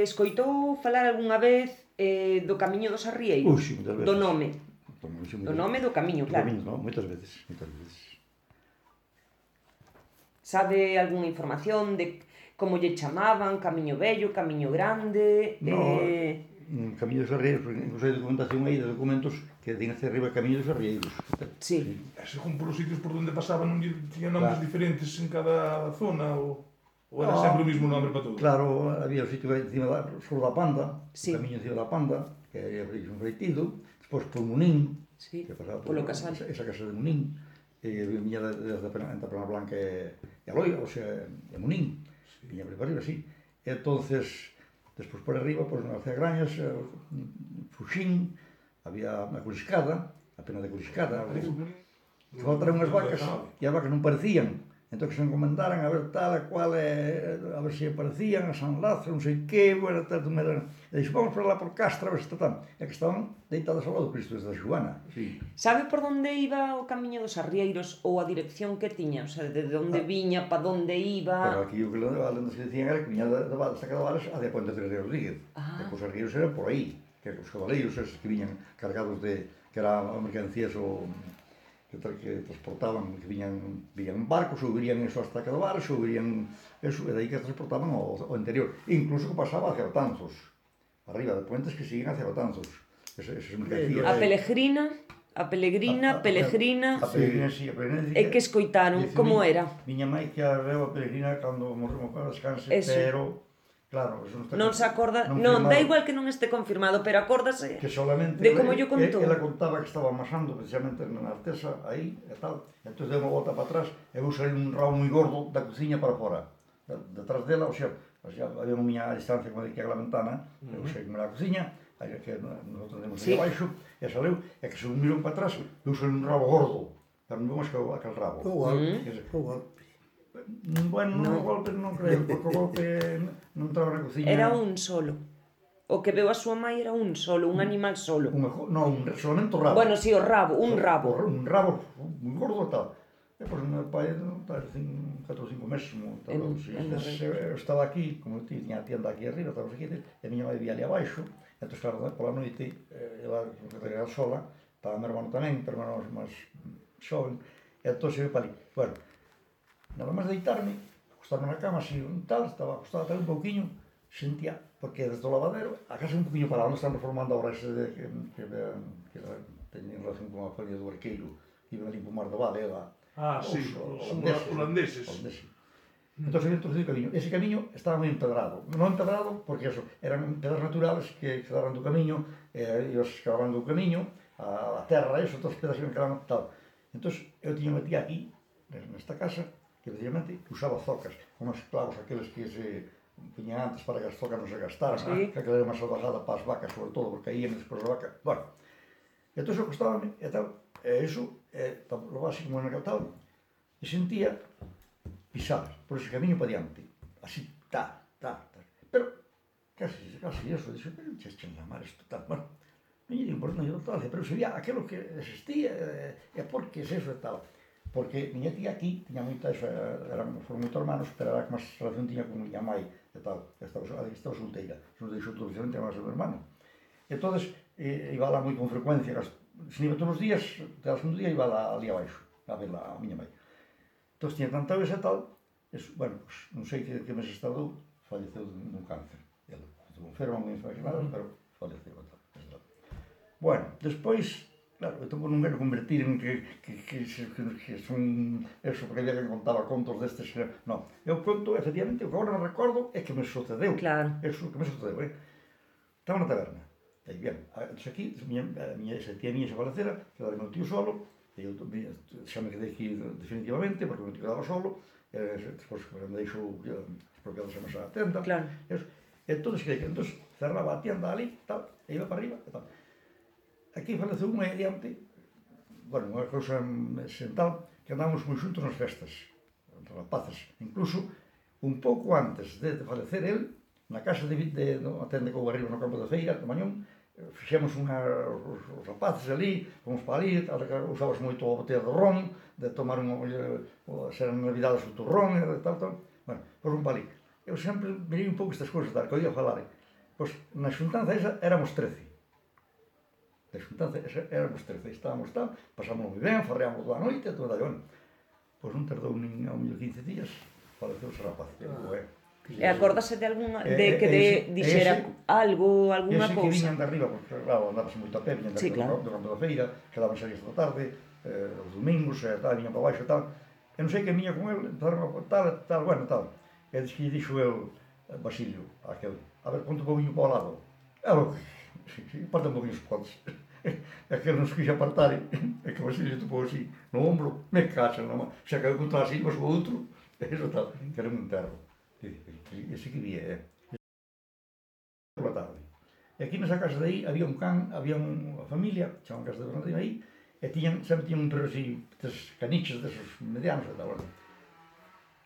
escoitou falar algunha vez do Camiño dos Arrieiros? Sí, moitas veces. Do nome. Do nome do camiño, claro. Do camiño, non? Moitas veces. Sabe algunha información de como lle chamaban? Camiño Vello, Camiño Grande? Camiño dos Arrieiros, porque incluso hai documentación aí de documentos que din hacia arriba Camiño dos Arrieiros. Sí. Según polos sitios por onde pasaban, non tiña nombres diferentes en cada zona, ou era sempre o mismo nome para todo? Claro, había o sitio encima sobre da Panda, sí. O camiño encima da Panda, que era un reitido, despois por Munín, sí. que pasaba polo Casal. Esa casa de Munín, viña desde a Pena Blanca e a Loira, o sea, de Munín, sí. Viña por arriba, sí. Entonces, despois por arriba, pois nas Cegrañas, Fuxín, había a Curiscada, a Pena de Curiscada, que faltaron unhas vacas, e as vacas non parecían. Entón que se encomendaran a ver tal e cual, a ver se aparecían, a San Lázaro, non sei que, bueno, tal, e dixo, vamos para lá por Castra, a ver se tal, e que estaban deitadas ao lado do Cristo desde a Xuana. Sí. Sabe por onde iba o Camiño dos Arrieiros ou a dirección que tiña? O sea, de onde viña, pa onde iba? Pero aquí o que lendas que dicían era que viña da Estaca de Varas a de Ponte de Rodríguez. E que os arrieiros eran por aí, que os cabaleiros esos que viñan cargados de, que era mercancías ou que transportaban, que viñan en barcos, ou virían eso hasta Estaca de Varas, ou virían eso, e dai que transportaban ao interior. Incluso que pasaba hacia Betanzos, arriba de puentes que siguen hacia Betanzos. Esas mercancías. A Pelegrina, Pelegrina, sí, a Pelegrina. E que escoitaron, como era? Miña mãe que a veu a Pelegrina cando morreu para descanse, pero claro, eso non se acorda, non, dá igual que non este confirmado, pero acórdase que solamente de como yo contou. Ela contaba que estaba amasando precisamente na artesa aí e tal, entón deu unha volta para atrás e veu salir un rabo moi gordo da cociña para fora, detrás dela, o sea, había unha miña distancia como de que a la ventana, eu sei como era a cociña, que nosotros temos aí abaixo, e saleu, e que se mirou para atrás, veu salir un rabo gordo, pero non vemos aquel rabo. Bueno, non o golpe non creo, porque o golpe non entraba na cociña. Era un solo. O que veu a súa mãe era un solo, un animal solo. Non, solamente o rabo. Bueno, si, o rabo, un rabo. Un rabo, un gordo e tal. E, pois, meu pai, 4 ou 5 meses, eu estaba aquí, como eu tiña a tienda aquí arriba, estaba aquí, e a miña mãe vivía ali abaixo, e, entón, claro, pola noite, ela regar sola, estaba meu hermano tamén, pero meu hermano máis xoven, e, entón, se ve para ali. Bueno, nada máis deitarme, acostarme na cama, así, tal, estaba acostado tal un pouquiño, sentía, porque desde o lavadero, a casa un pouquiño para onde están reformando agora ese que teñen relación con a feria do Arqueiro, iban ali por Mar do Vale, sí, os holandeses. Entón, se introducido o camiño. Ese camiño estaba moi empedrado. Non empedrado, porque eso, eran pedras naturales que quedaban do camiño, e os cavaban do camiño, a terra, eso, todos os pedras que quedaban, tal. Entón, eu tiña metida aquí, nesta casa, que precisamente usaba zocas, con os clavos aqueles que se puñan antes para que as zocas non se gastaran, que aquela era unha salvajada para as vacas, sobre todo, porque caían despois da vaca. Bueno, entón, eu acostábame, e tal, e iso, lo básico como en tal, e sentía pisar por ese camiño para diante, así, pero casi eso, dixo, pero che chamar isto, tal, bueno, non lle importa, non lle importa, pero se vía aquilo que existía, e por que es eso e tal, porque miña tía aquí, tiña moita, foron moito hermanos, pero era que máis relación tiña con miña mãe, e tal, estaba solteira, se nos deixou precisamente a máis o meu hermano, entón, iba lá moi con frecuencia, se iba todos os días, cada segundo día iba ali abaixo, a ver a miña mãe. Entón, tiña tanta vez e tal, bueno, non sei que meses tardou, faleceu dun cáncer. Ela estuvo enferma, moi enferma, pero faleceu e tal. Bueno, despois, claro, eu tampouco non quero convertir en que son eso, porque había que contaba contos destes, non. Eu conto, efectivamente, o que agora non recordo é que me sucedeu. Claro. Eso que me sucedeu, Estaba na taberna. E, bien, aquí, esa tía miña se falecera, quedara meu tío solo, e eu xa me quedei aquí definitivamente, porque me quedaba solo, despois me deixou as propiedades a mesa da tenda, e entón, cerraba a tienda ali, tal, e iba para arriba, e tal. Aquí faleceu unha adiante, bueno, unha cousa sental, que andábamos moi xuntos nas festas, rapaces, incluso, un pouco antes de falecer el, na casa de a tenda que houve arriba no campo da feira, de Mañón, fixemos os rapaces ali, fomos para ali, usábamos moito a botella de ron, de tomar se eran navidades o turrón, e tal, bueno, fomos para ali. eu sempre mirei un pouco estas cousas, tal, que oía falar. Pois, na xuntanza esa éramos 13. Na xuntanza esa éramos 13. Estábamos tal, pasámos moi ben, farreamos toda a noite, toda a bueno. Pois non tardou nin ao mellor 15 días, faleceu ese rapaz. E acórdase de algunha, de que dixera ese, algo, alguna ese que cousa? viñan de arriba, porque claro, andábase moito a pé, viñan de Sí, arriba claro. do campo da feira, quedaban saídas da tarde, os domingos, tal, viñan para baixo e tal. E non sei que viña con el, empezaron a tal, bueno, tal. E que lle dixo el, Basilio, aquel, a ver, ponte un poquinho para o lado. E logo, parte un poquinho os podes. E aquel nos quixo apartar, e que Basilio topou así, no ombro, me cacha, xa caiu contra así, mas o outro, e iso tal, que era un enterro. Ese que vía, pola tarde. E aquí nesa casa de aí había un can, había unha familia, chamaban casa de Bernardino aí, e sempre tiñan un perro así, tres caniches desos medianos e tal, bueno.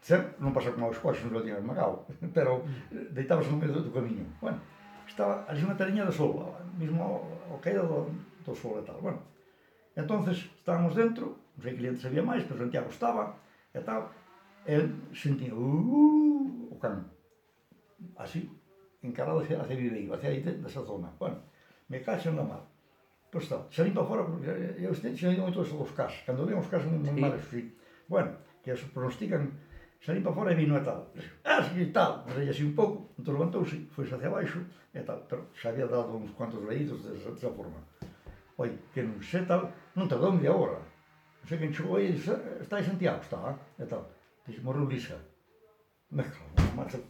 Sempre, non pasa como aos coxos, non lo tiñan esmagado, pero deitábase no medio do camiño. Bueno, estaba ali unha tariña de sol, mismo ao caído do sol e tal, bueno. E entonces estábamos dentro, non sei que clientes había máis, pero Santiago estaba, e tal, e sentía, o can, así, encarado hacia Viveiro, hacia aí desa zona. Bueno, me cacho na mar. Pois está, salín para fora, porque eu xa ido moito dos cas, cando ven os cas moi malos, sí. Bueno, que os pronostican, salín para fora e vino e tal. E tal, reí así un pouco, entón levantouse, foi hacia baixo, e tal, pero xa había dado uns cuantos leídos desa forma. Oi, que non sei tal, non tardou media hora. Non sei quen chegou aí e disse, está aí Santiago, está, e tal. Dixe, morreu Lisa. Me cago, macho,